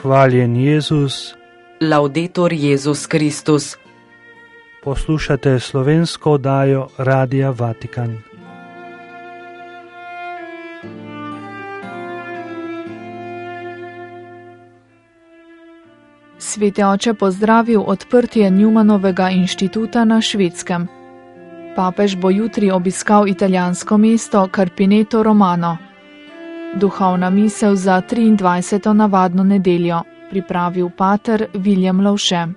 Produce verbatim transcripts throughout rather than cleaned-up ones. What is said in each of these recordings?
Hvaljen Jezus. Laudetur Jezus Kristus. Poslušate slovensko oddajo Radia Vatikan. Sveti oče pozdravil odprtje Newmanovega inštituta na Švedskem. Papež bo jutri obiskal italijansko mesto Carpineto Romano. Duhovna misel za triindvajseto navadno nedeljo, pripravil pater William Lovše.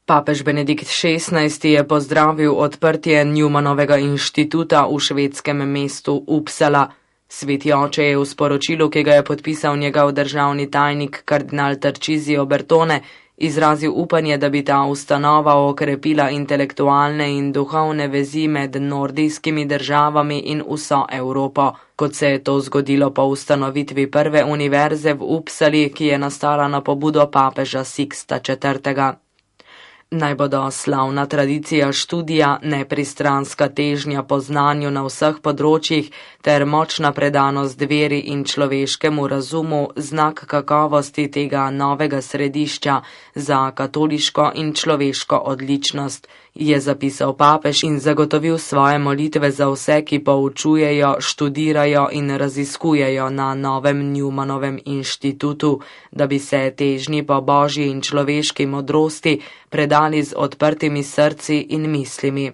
Papež Benedikt šestnajsti je pozdravil odprtje Newmanovega inštituta v švedskem mestu Uppsala. Sveti oče je v sporočilu, ki ga je podpisal njegov državni tajnik kardinal Tarcisio Bertone, izrazil upanje, da bi ta ustanova okrepila intelektualne in duhovne vezi med nordijskimi državami in vso Evropo, kot se je to zgodilo po ustanovitvi prve univerze v Uppsali, ki je nastala na pobudo papeža Siksta četrtega. Naj bodo slavna tradicija študija, nepristranska težnja po znanju na vseh področjih ter močna predanost veri in človeškemu razumu znak kakovosti tega novega središča za katoliško in človeško odličnost, je zapisal papež in zagotovil svoje molitve za vse, ki poučujejo, študirajo in raziskujejo na novem Newmanovem inštitutu, da bi se težnji po božji in človeški modrosti predali z odprtimi srci in mislimi.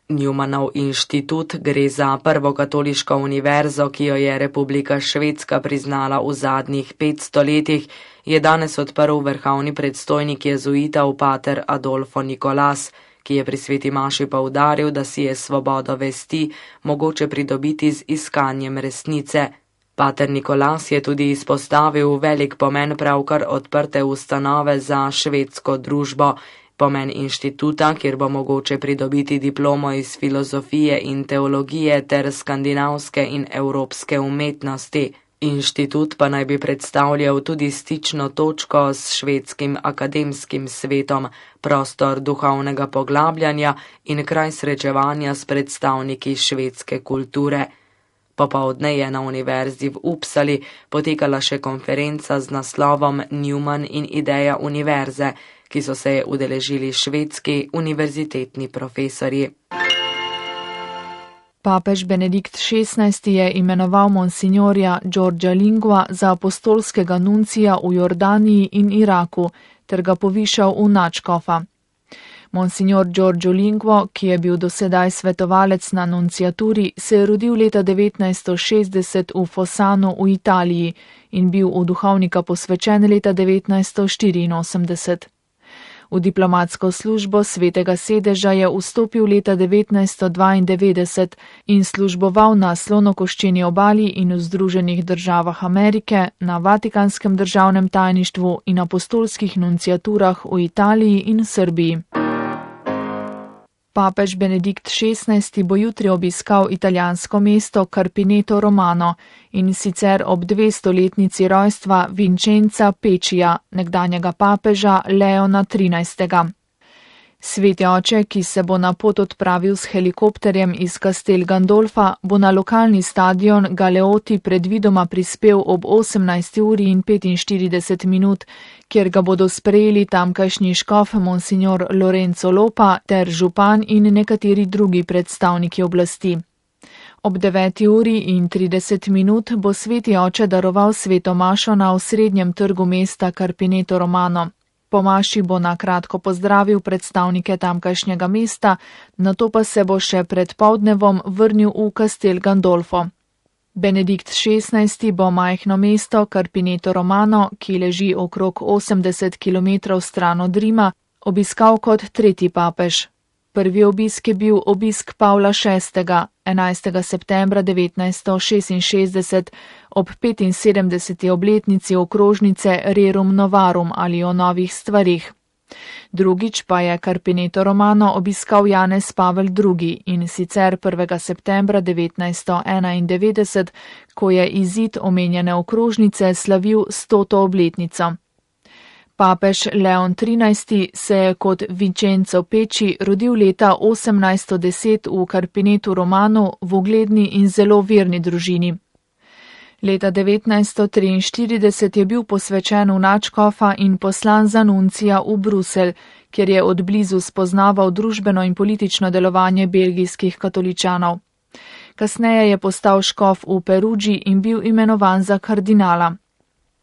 Newmanov inštitut gre za prvo katoliško univerzo, ki jo je Republika Švedska priznala v zadnjih petsto letih, je danes odprl vrhovni predstojnik jezuitov pater Adolfo Nicolas, ki je pri sveti maši poudaril, da si je svobodo vesti mogoče pridobiti z iskanjem resnice. Pater Nicolas je tudi izpostavil velik pomen pravkar odprte ustanove za švedsko družbo, pomen inštituta, kjer bo mogoče pridobiti diplomo iz filozofije in teologije ter skandinavske in evropske umetnosti. Inštitut pa naj bi predstavljal tudi stično točko s švedskim akademskim svetom, prostor duhovnega poglabljanja in kraj srečevanja s predstavniki švedske kulture. Popoldne je na univerzi v Uppsali potekala še konferenca z naslovom Newman in ideja univerze, ki so se udeležili švedski univerzitetni profesorji. Papež Benedikt šestnajsti je imenoval monsignorja Giorgia Lingua za apostolskega nuncija v Jordaniji in Iraku ter ga povišal v nadškofa. Monsignor Giorgio Lingua, ki je bil dosedaj svetovalec na nunciaturi, se je rodil leta devetnajststo šestdeset v Fossanu v Italiji in bil v duhovnika posvečen leta devetnajststo štiriinosemdeset. V diplomatsko službo svetega sedeža je vstopil leta devetnajststo dvaindevetdeset in služboval na Slonokoščeni obali in v Združenih državah Amerike, na Vatikanskem državnem tajništvu in apostolskih nunciaturah v Italiji in Srbiji. Papež Benedikt šestnajsti bo jutri obiskal italijansko mesto Carpineto Romano in sicer ob dvestoletnici rojstva Vincenza Pečija, nekdanjega papeža Leona trinajstega. Sveti oče, ki se bo na pot odpravil s helikopterjem iz Castel Gandolfa, bo na lokalni stadion Galeoti predvidoma prispel ob osemnajsti uri in petinštirideset minut, kjer ga bodo sprejeli tamkajšnji škof monsignor Lorenzo Lopa ter župan in nekateri drugi predstavniki oblasti. Ob deveti uri in trideset minut bo sveti oče daroval sveto mašo na osrednjem trgu mesta Carpineto Romano. Po maši bo na kratko pozdravil predstavnike tamkajšnjega mesta, nato pa se bo še pred poldnevom vrnil v Castel Gandolfo. Benedikt šestnajsti bo majhno mesto Carpineto Romano, ki leži okrog osemdeset kilometrov stran od Rima, obiskal kot tretji papež. Prvi obisk je bil obisk Pavla šestega, enajstega septembra devetnajststo šestinšestdeset, ob petinsedemdeseti obletnici okrožnice Rerum Novarum ali o novih stvarih. Drugič pa je Carpineto Romano obiskal Janez Pavel drugi in sicer prvega septembra devetnajststo enaindevetdeset, ko je izid omenjene okrožnice slavil stoto obletnico. Papež Leon trinajsti se je kot Vincenzo Pecci rodil leta osemnajststo deset v Carpinetu Romano v ugledni in zelo verni družini. Leta devetnajststo triinštirideset je bil posvečen v nadškofa in poslan za nuncija v Bruselj, kjer je od blizu spoznaval družbeno in politično delovanje belgijskih katoličanov. Kasneje je postal škof v Perugii in bil imenovan za kardinala.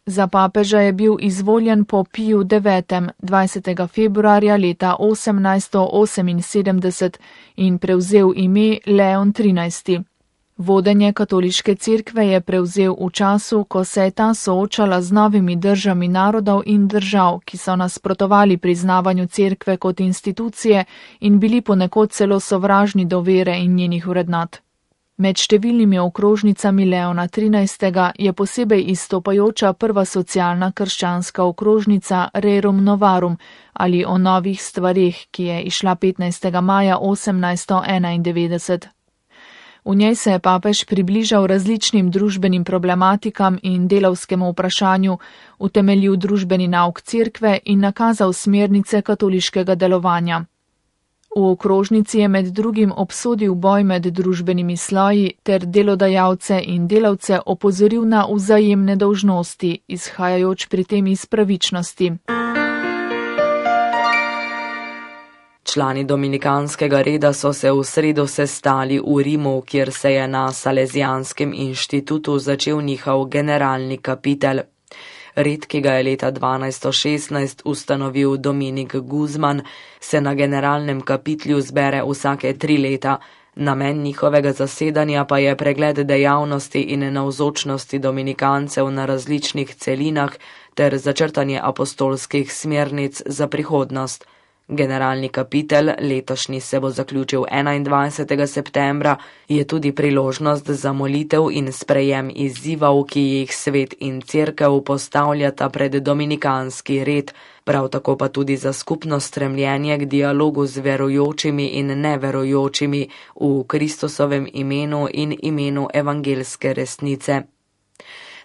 Za papeža je bil izvoljen po Piju devetem dvajsetega februarja leta osemnajststo oseminsedemdeset in prevzel ime Leon trinajsti. Vodenje katoliške cerkve je prevzel v času, ko se je ta soočala z novimi državami narodov in držav, ki so nasprotovali priznavanju cerkve kot institucije in bili ponekod celo sovražni do vere in njenih vrednot. Med številnimi okrožnicami Leona trinajstega je posebej izstopajoča prva socialna krščanska okrožnica Rerum Novarum ali o novih stvareh, ki je izšla petnajstega maja osemnajststo enaindevetdeset. V njej se je papež približal različnim družbenim problematikam in delavskemu vprašanju, utemeljil družbeni nauk cerkve in nakazal smernice katoliškega delovanja. V okrožnici je med drugim obsodil boj med družbenimi sloji ter delodajalce in delavce opozoril na vzajemne dolžnosti, izhajajoč pri tem iz pravičnosti. Člani dominikanskega reda so se v sredo sestali v Rimu, kjer se je na Salezijanskem inštitutu začel njihov generalni kapitel. Red, ki ga je leta dvanajststo šestnajst ustanovil Dominik Guzman, se na generalnem kapitlju zbere vsake tri leta. Namen njihovega zasedanja pa je pregled dejavnosti in navzočnosti dominikancev na različnih celinah ter začrtanje apostolskih smernic za prihodnost. Generalni kapitel, letošnji se bo zaključil enaindvajsetega septembra, je tudi priložnost za molitev in sprejem izzivov, ki jih svet in cerkev postavljata pred dominikanski red, prav tako pa tudi za skupno stremljenje k dialogu z verujočimi in neverujočimi v Kristusovem imenu in imenu evangelske resnice.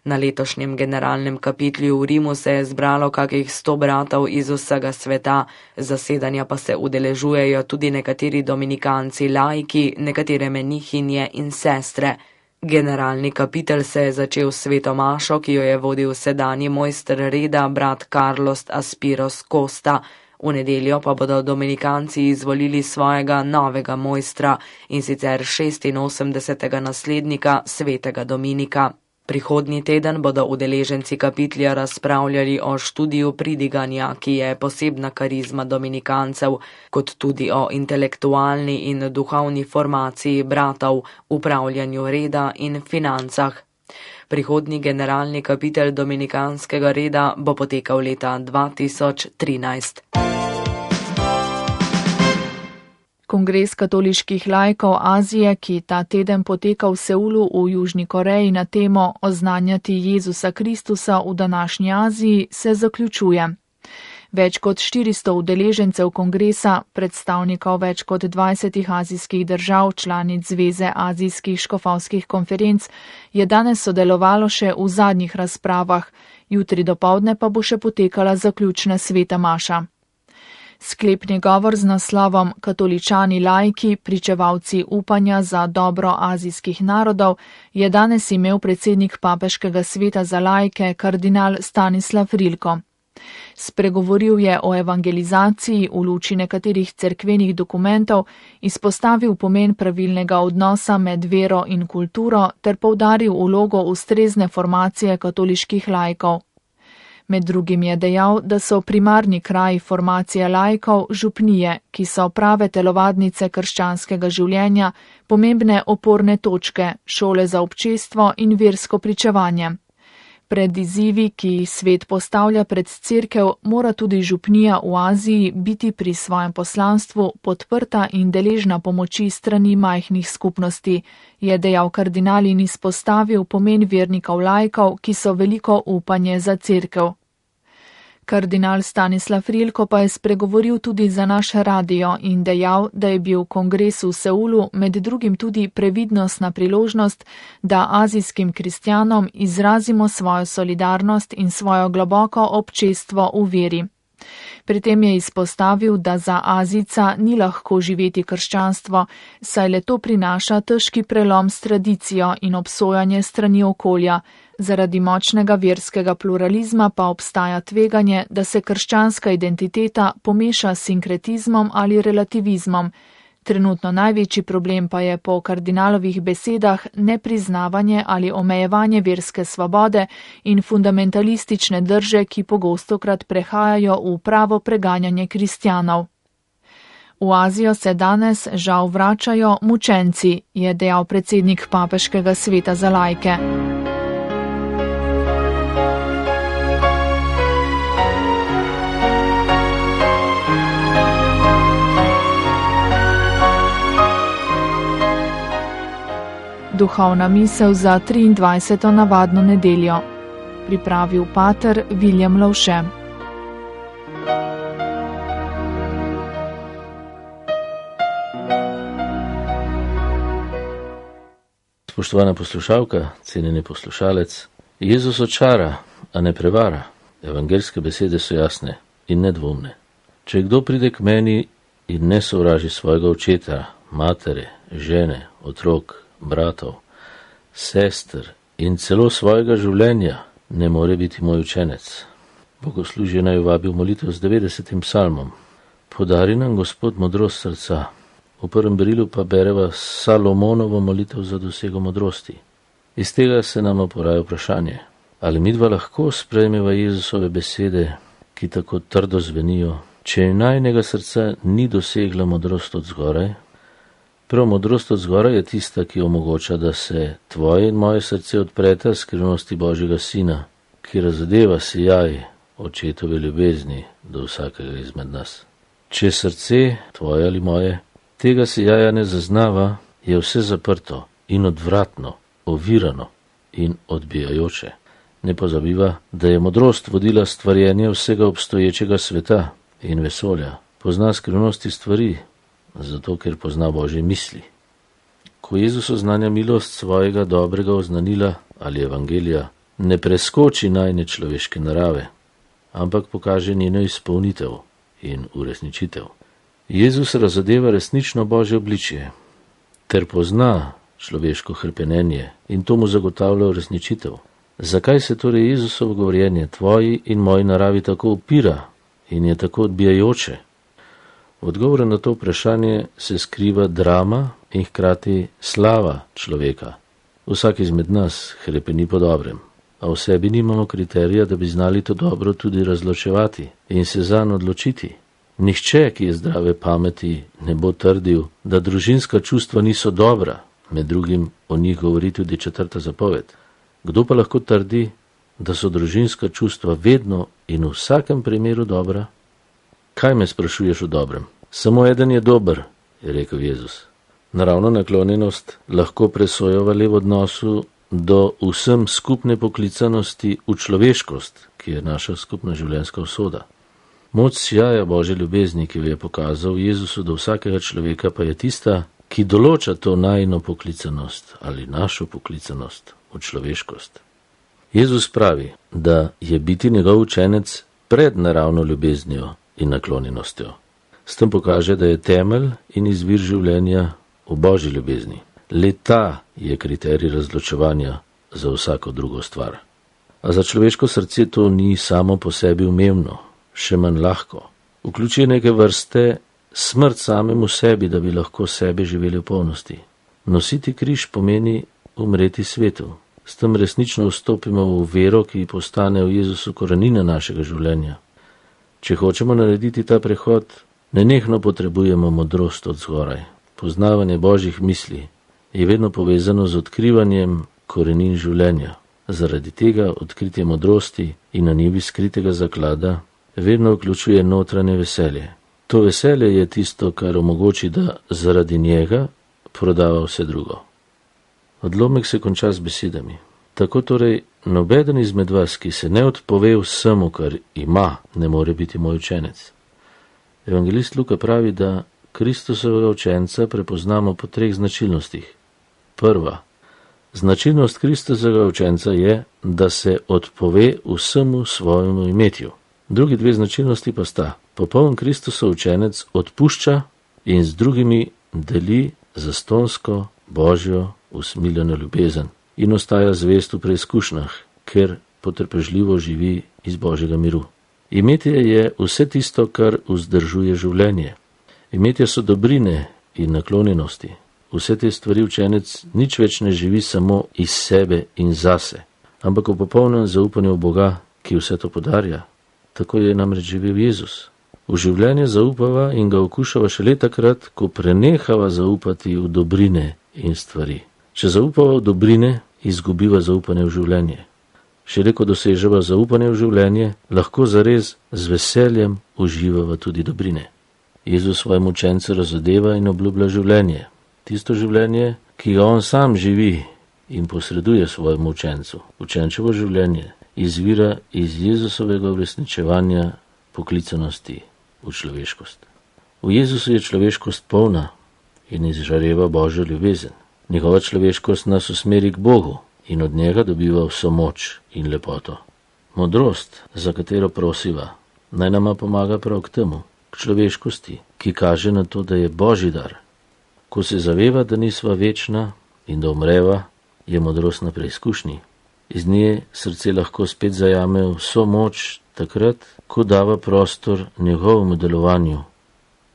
Na letošnjem generalnem kapitlju v Rimu se je zbralo kakih sto bratov iz vsega sveta, zasedanja pa se udeležujejo tudi nekateri dominikanci laiki, nekatere menihinje in sestre. Generalni kapitel se je začel s sveto mašo, ki jo je vodil sedanji mojster reda brat Carlos Aspiros Costa. V nedeljo pa bodo dominikanci izvolili svojega novega mojstra, in sicer šestinosemdesetega naslednika svetega Dominika. Prihodnji teden bodo udeleženci kapitlja razpravljali o študiju pridiganja, ki je posebna karizma dominikancev, kot tudi o intelektualni in duhovni formaciji bratov, upravljanju reda in financah. Prihodnji generalni kapitel dominikanskega reda bo potekal leta dva tisoč trinajst. Kongres katoliških laikov Azije, ki ta teden poteka v Seulu v Južni Koreji na temo Oznanjati Jezusa Kristusa v današnji Aziji, se zaključuje. Več kot štiristo udeležencev kongresa, predstavnikov več kot dvajsetih azijskih držav, članic Zveze azijskih škofovskih konferenc, je danes sodelovalo še v zadnjih razpravah, jutri dopoldne pa bo še potekala zaključna sveta maša. Sklepni govor z naslovom Katoličani laiki, pričevalci upanja za dobro azijskih narodov je danes imel predsednik Papeškega sveta za laike kardinal Stanislav Rilko. Spregovoril je o evangelizaciji v luči nekaterih cerkvenih dokumentov, izpostavil pomen pravilnega odnosa med vero in kulturo ter poudaril vlogo ustrezne formacije katoliških laikov. Med drugim je dejal, da so primarni kraji formacije laikov župnije, ki so prave telovadnice krščanskega življenja, pomembne oporne točke, šole za občestvo in versko pričevanje. Pred izzivi, ki jih svet postavlja pred cerkev, mora tudi župnija v Aziji biti pri svojem poslanstvu podprta in deležna pomoči strani majhnih skupnosti, je dejal kardinal in izpostavil pomen vernikov laikov, ki so veliko upanje za cerkev. Kardinal Stanislav Rilko pa je spregovoril tudi za naš radio in dejal, da je bil kongres v Seulu med drugim tudi previdnostna priložnost, da azijskim kristjanom izrazimo svojo solidarnost in svojo globoko občestvo v veri. Pri tem je izpostavil, da za Azijca ni lahko živeti krščanstvo, saj le to prinaša težki prelom s tradicijo in obsojanje strani okolja. Zaradi močnega verskega pluralizma pa obstaja tveganje, da se krščanska identiteta pomeša s sinkretizmom ali relativizmom. Trenutno največji problem pa je po kardinalovih besedah nepriznavanje ali omejevanje verske svobode in fundamentalistične drže, ki pogostokrat prehajajo v pravo preganjanje kristjanov. V Azijo se danes žal vračajo mučenci, je dejal predsednik Papeškega sveta za laike. Duhovna misel za triindvajseto navadno nedeljo. Pripravil pater Viljem Lovše. Spoštovana poslušalka, cenjeni poslušalec, Jezus očara, a ne prevara. Evangeljske besede so jasne in nedvomne. Če kdo pride k meni in ne sovraži svojega očeta, matere, žene, otrok, bratov, sester in celo svojega življenja, ne more biti moj učenec. Bogoslužje naj vabi v molitev z devetdesetim psalmom. Podari nam Gospod modrost srca. V prvem berilu pa bereva Salomonovo molitev za dosego modrosti. Iz tega se nam poraja vprašanje, ali midva lahko sprejmeva Jezusove besede, ki tako trdo zvenijo, če najnega srca ni dosegla modrost od zgoraj. Prav modrost od zgoraj je tista, ki omogoča, da se tvoje in moje srce odpreta skrivnosti Božjega Sina, ki razodeva sijaj očetove ljubezni do vsakega izmed nas. Če srce, tvoje ali moje, tega sijaja ne zaznava, je vse zaprto in odvratno, ovirano in odbijajoče. Ne pozabiva, da je modrost vodila stvarjenje vsega obstoječega sveta in vesolja. Pozna skrivnosti stvari, zato ker pozna Božje misli. Ko Jezus oznanja milost svojega dobrega oznanila ali evangelija, ne preskoči najne človeške narave, ampak pokaže njeno izpolnitev in uresničitev. Jezus razodeva resnično Božje obličje, ter pozna človeško hrepenenje in to mu zagotavlja uresničitev. Zakaj se torej Jezusovo govorjenje tvoji in moji naravi tako upira in je tako odbijajoče? V odgovoru na to vprašanje se skriva drama in hkrati slava človeka. Vsak izmed nas hrepeni po dobrem, a v sebi nimamo kriterija, da bi znali to dobro tudi razločevati in se zanj odločiti. Nihče, ki je zdrave pameti, ne bo trdil, da družinska čustva niso dobra, med drugim o njih govori tudi četrta zapoved. Kdo pa lahko trdi, da so družinska čustva vedno in v vsakem primeru dobra? Kaj me sprašuješ o dobrem? Samo eden je dober, je rekel Jezus. Naravno naklonjenost lahko presojava le v odnosu do vsem skupne poklicanosti v človeškost, ki je naša skupna življenjska usoda. Moč sijaja Božje ljubezni, ki jo je pokazal Jezusu do vsakega človeka, pa je tista, ki določa to najino poklicanost ali našo poklicanost v človeškost. Jezus pravi, da je biti njegov učenec pred naravno ljubeznijo in naklonjenostjo. S tem pokaže, da je temelj in izvir življenja v Božji ljubezni. Le ta je kriterij razločevanja za vsako drugo stvar. A za človeško srce to ni samo po sebi umevno, še manj lahko. Vključuje neke vrste smrt samemu sebi, da bi lahko sebe živeli v polnosti. Nositi križ pomeni umreti svetu. S tem resnično vstopimo v vero, ki postane v Jezusu korenina našega življenja. Če hočemo narediti ta prehod, nenehno potrebujemo modrost od zgoraj. Poznavanje Božjih misli je vedno povezano z odkrivanjem korenin življenja. Zaradi tega odkritje modrosti in na njivi skritega zaklada vedno vključuje notranje veselje. To veselje je tisto, kar omogoči, da zaradi njega prodava vse drugo. Odlomek se konča z besedami. Tako torej nobeden izmed vas, ki se ne odpove vsemu, kar ima, ne more biti moj učenec. Evangelist Luka pravi, da Kristusovega učenca prepoznamo po treh značilnostih. Prva. Značilnost Kristusovega učenca je, da se odpove vsemu svojemu imetju. Drugi dve značilnosti pa sta: popoln Kristusov učenec odpušča in z drugimi deli zastonsko Božjo usmiljeno ljubezen in ostaja zvest v preizkušnjah, ker potrpežljivo živi iz Božjega miru. Imetje je vse tisto, kar vzdržuje življenje. Imetje so dobrine in naklonjenosti. Vse te stvari učenec nič več ne živi samo iz sebe in zase, ampak v popolnem zaupanju v Boga, ki vse to podarja. Tako je namreč živel Jezus. V življenje zaupava in ga okušava šele takrat, ko prenehava zaupati v dobrine in stvari. Če zaupava v dobrine, izgubiva zaupanje v življenje. Šele ko doseževa zaupanje v življenje, lahko zares z veseljem uživava tudi dobrine. Jezus svojemu učencu razodeva in obljublja življenje. Tisto življenje, ki ga on sam živi in posreduje svojemu učencu. Učenčevo življenje izvira iz Jezusovega uresničevanja poklicanosti v človeškost. V Jezusu je človeškost polna in izžareva Božjo ljubezen. Njegova človeškost nas usmeri k Bogu in od njega dobiva vso moč in lepoto. Modrost, za katero prosiva, naj nama pomaga prav k temu, k človeškosti, ki kaže na to, da je Božji dar. Ko se zaveva, da nisva večna in da umreva, je modrost na preizkušnji. Iz nje srce lahko spet zajame vso moč takrat, ko dava prostor njegovemu delovanju,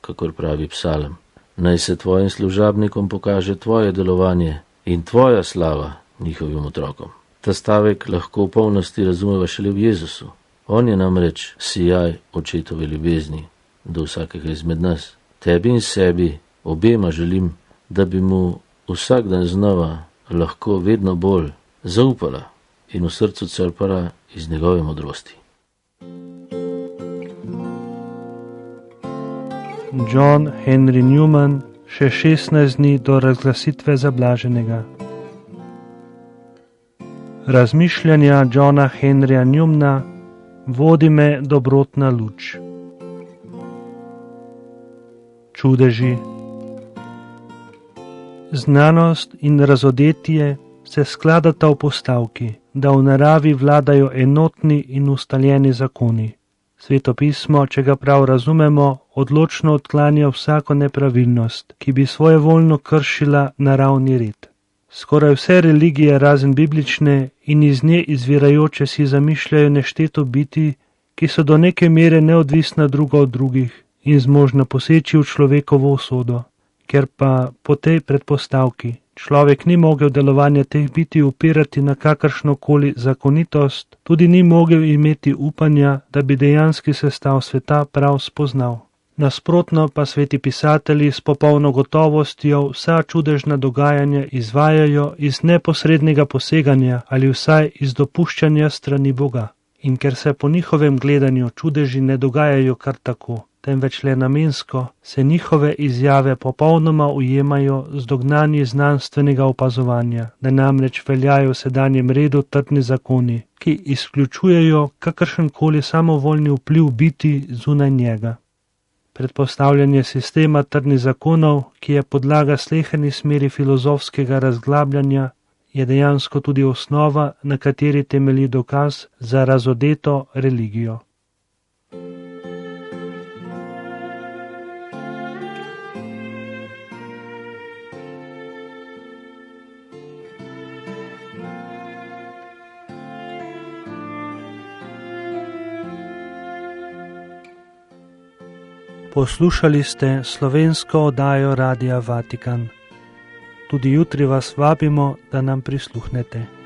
kakor pravi psalm. Naj se tvojim služabnikom pokaže tvoje delovanje in tvoja slava njihovim otrokom. Ta stavek lahko v polnosti razumeva šele v Jezusu. On je namreč sijaj očetove ljubezni do vsakega izmed nas. Tebi in sebi obema želim, da bi mu vsak dan znova lahko vedno bolj zaupala in v srcu crpala iz njegove modrosti. John Henry Newman, še šestnajst dni do razglasitve za blaženega. Razmišljanja Johna Henryja Newmana vodi me dobrotna luč. Čudeži. Znanost in razodetje se skladata v postavki, da v naravi vladajo enotni in ustaljeni zakoni. Sveto pismo, če ga prav razumemo, odločno odklanja vsako nepravilnost, ki bi svojevoljno kršila naravni red. Skoraj vse religije, razen biblične in iz nje izvirajoče, si zamišljajo nešteto biti, ki so do neke mere neodvisna druga od drugih in zmožna poseči v človekovo usodo, ker pa po tej predpostavki človek ni mogel delovanja teh biti upirati na kakršnokoli zakonitost, tudi ni mogel imeti upanja, da bi dejanski sestav sveta prav spoznal. Nasprotno pa sveti pisatelji s popolno gotovostjo vsa čudežna dogajanja izvajajo iz neposrednega poseganja ali vsaj iz dopuščanja strani Boga. In ker se po njihovem gledanju čudeži ne dogajajo kar tako, temveč le namensko, se njihove izjave popolnoma ujemajo z dognanji znanstvenega opazovanja, da namreč veljajo v sedanjem redu trdni zakoni, ki izključujejo kakršenkoli samovoljni vpliv biti zunaj njega. Predpostavljanje sistema trdnih zakonov, ki je podlaga sleherni smeri filozofskega razglabljanja, je dejansko tudi osnova, na kateri temelji dokaz za razodeto religijo. Poslušali ste slovensko oddajo Radia Vatikan. Tudi jutri vas vabimo, da nam prisluhnete.